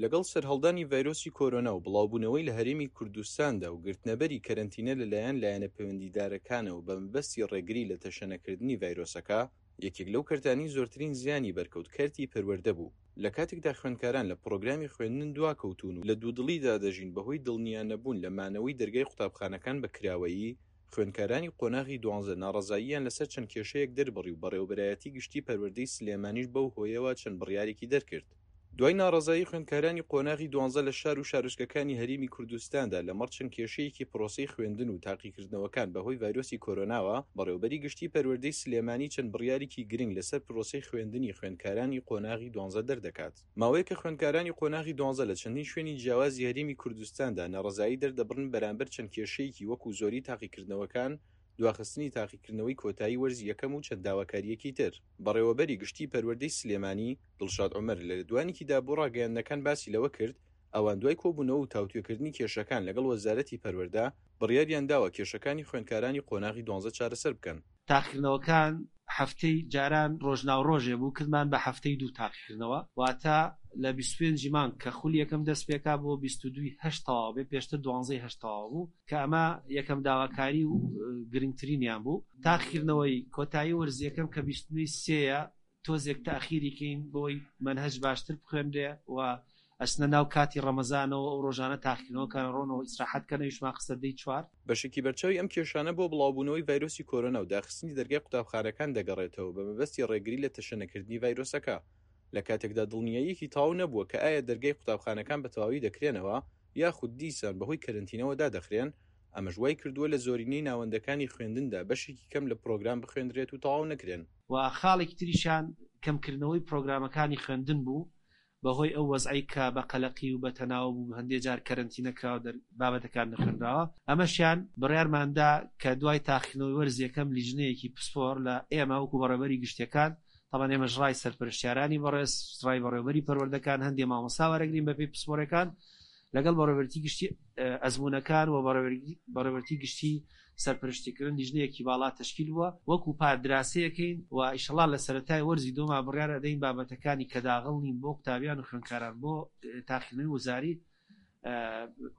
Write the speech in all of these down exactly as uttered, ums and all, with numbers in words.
لەگەڵ سەرهەڵدانی ڤایرۆسی کۆرۆنا و بڵاوبوونەوەی لە هەرێمی کوردستاندا و گرتنەبەری کەرەنتینە لەلایەن لایەنە پەیوەندیدارەکانەوە بەمەبەستی ڕێگری لە تەشەنەکردنی ڤایرۆسەکە، یەکێک لەو کەرتانەی زۆرترین زیانی بەرکەوت کەرتی پەروەردە بوو. لە کاتێکدا خوێندکاران لە پڕۆگرامی خوێندن دواکەوتوون و لە دوودڵیدا دەژین بەهۆی دڵنیانەبوون لە مانەوەی دەرگای قوتابخانەکان بە کراوەیی، خوێندکارانی قۆناغی دوانزە ناڕەزاییان لەسەر چەند کێشەیەک دەربڕی و بەڕێوەبەرایەتی گشتی پەروەردەی سلێمانیش بەو هۆیەوە چەند بڕیارێکی دەرکرد. دوای ناڕەزایی خوێندکارانی قۆناغی دوانزە لە شار و شارۆچکەکانی هەرێمی کوردستاندا لەمەڕ چەند کێشەیەکی پرۆسەی خوێندن و تاقیکردنەوەکان بەهۆی ڤایرۆسی کۆرۆناوە، بەڕێوەبەری گشتی پەروەردەی سلێمانی چەند بڕیارێکی گرنگ لەسەر پرۆسەی خوێندنی خوێندکارانی قۆناغی دوانزە دەردەکات. ماوەیەکە خوێندکارانی قۆناغی دوانزە لە چەندین شوێنی جیاوازی هەرێمی کوردستاندا ناڕەزایی دەردەبڕن بەرامبەر چەند کێشەیەکی وەکو زۆری تاقیکردنەوەکان، دواخستنی تاقیکردنەوەی کۆتایی وەرزی یەکەم و چەند داواکارییەکی تر. بەڕێوەبەری گشتی پەروەردەی سلێمانی، دڵشاد عومەر لە لێدوانێکیدا بۆ ڕاگەیاندنەکان باسی لەوە کرد، ئەوان دوای کۆبوونەوە و تاوتوێکردنی کێشەکان لەگەڵ وەزارەتی پەروەردە، بڕیاریان داوە کێشەکانی خوێندکارانی قۆناغی دوانزە چارەسەر بکەن. تاقیکردنەوەکان هەفتەی جاران ڕۆژناوڕۆژێ بوو، کردمان بە هەفتەی دوو تاقیکردنەوە، واتە لە بیست و پێنج مانگ کە خولی یەکەم دەست پێکا بۆ بیست و دووی هەشت تەواو بێ، پێشتر دوانزەی هەشت تەواو بوو، کە ئەمە یەکەم داواکاری و گرنگترینیان بوو. تاقیکردنەوەی کۆتایی وەرز یەکەم کە بیست و نۆی سێیە تۆزێک تاخیری کەین بۆی مەنهەج باشتر بخوێنرێ و ئەچنە ناو کاتی ڕەمەزانەوە، ئەو ڕۆژانە تاقیکردنەوەکان ڕۆنەوە ئیسراحەت کەن، ئەویشمان خستە دەی چوار. بەشێکی بەرچاوی ئەم کێشانە بۆ بڵاوبوونەوەی ڤایرۆسی کۆرۆنا و داخستنی دەرگای قوتابخانەکان دەگەڕێتەوە بە مەبەستی ڕێگری لە تەشەنەکردنی ڤایرۆسەکە، لە کاتێکدا دڵنیاییەکی تەواو نەبووە کە ئایا دەرگای قوتابخانەکان بە تەواوی دەکرێنەوە یاخود دیسان بەهۆی کەرەنتینەوە دادەخرێن، ئەمەش وای کردووە لە زۆرینەی ناوەندەکانی خوێندندا بەشێکی کەم لە پرۆگرام بخوێندرێت و تەواو نەکرێن. و خاڵێکی تریشیان کەمکردنەوەی پرۆگرامەکانی خوێندن بوو بەهۆی ئەو وەزعەی کە بە قەلەقی و بە تەناوە بوو، هەندێک جار کەرەنتینە کراوە، بابەتەکان نەخوێنراوە. ئەمەشیان بڕیارماندا کە دوای تاقیکردنەوەی وەرز یەکەم لیژنەیەکی پسپۆر لە ئێمە وەکو بەڕێوەبەری گشتیەکان، طبعا ئێمەش ڕای سەرپەرشتیارانی بەڕێز، ڕای بەڕێوەبەری پەروەردەکان، هەندێک مامۆستا وەرەگرین بەپێی پسپۆرەکان، لەگەڵ بەڕێوەبەرێتی گشتی ئەزمونەکان و بەڕێوەبەرێتی گشتی سەرپەرشتیکردن لیژنەیەکی باڵا تەشکیل بووە وەکو پار دراسەیەکەین و ئیشەڵا لە سەرەتای وەرزی دوما بڕیار ئەدەین بابەتەکانی کە داغڵ نین بۆ قوتابیان و خوێندکاران بۆ تاقیکردنەوەی وەزاری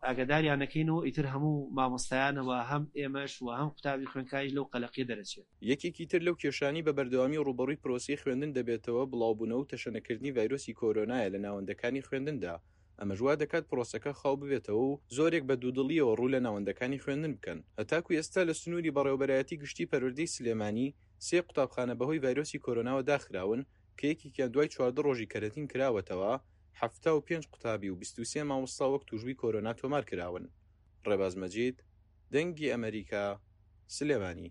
ئاگاداریانەکەین و ئیتر هەموو مامۆستایانەوە هەم ئێمەش و هەم قوتابی خوێندکاریش لەو قەلەقیە دەرەچێت. یەکێکی تر لەو کێشانەی بە بەردەوامی ڕووبەڕووی پرۆسەی خوێندن دەبێتەوە بڵاوبوونەوە و تەشەنەکردنی ڤایرۆسی کۆرۆنایە لە ناوەندەکانی خوێندندا، ئەمەش وا دەکات پرۆسەکە خاو ببێتەوە و زۆرێک بە دوودڵیەوە ڕوو لە ناوەندەکانی خوێندن بکەن. هەتاکو ئێستا لە سنووری بەڕێوەبەرایەتی گشتی پەروەردەی سلێمانی سێ قوتابخانە بەهۆی ڤایرۆسی کۆرۆناوە داخراون کە یەکێکیان دوای چواردە ڕۆژی کەرەنتین کراوەتەوە، حەفتا و پێنج قوتابی و بیست و سێ مامۆستا وەک تووشبووی کۆرۆنا تۆمار کراون. ڕێباز مەجید، دەنگی ئەمریکا، سلێمانی.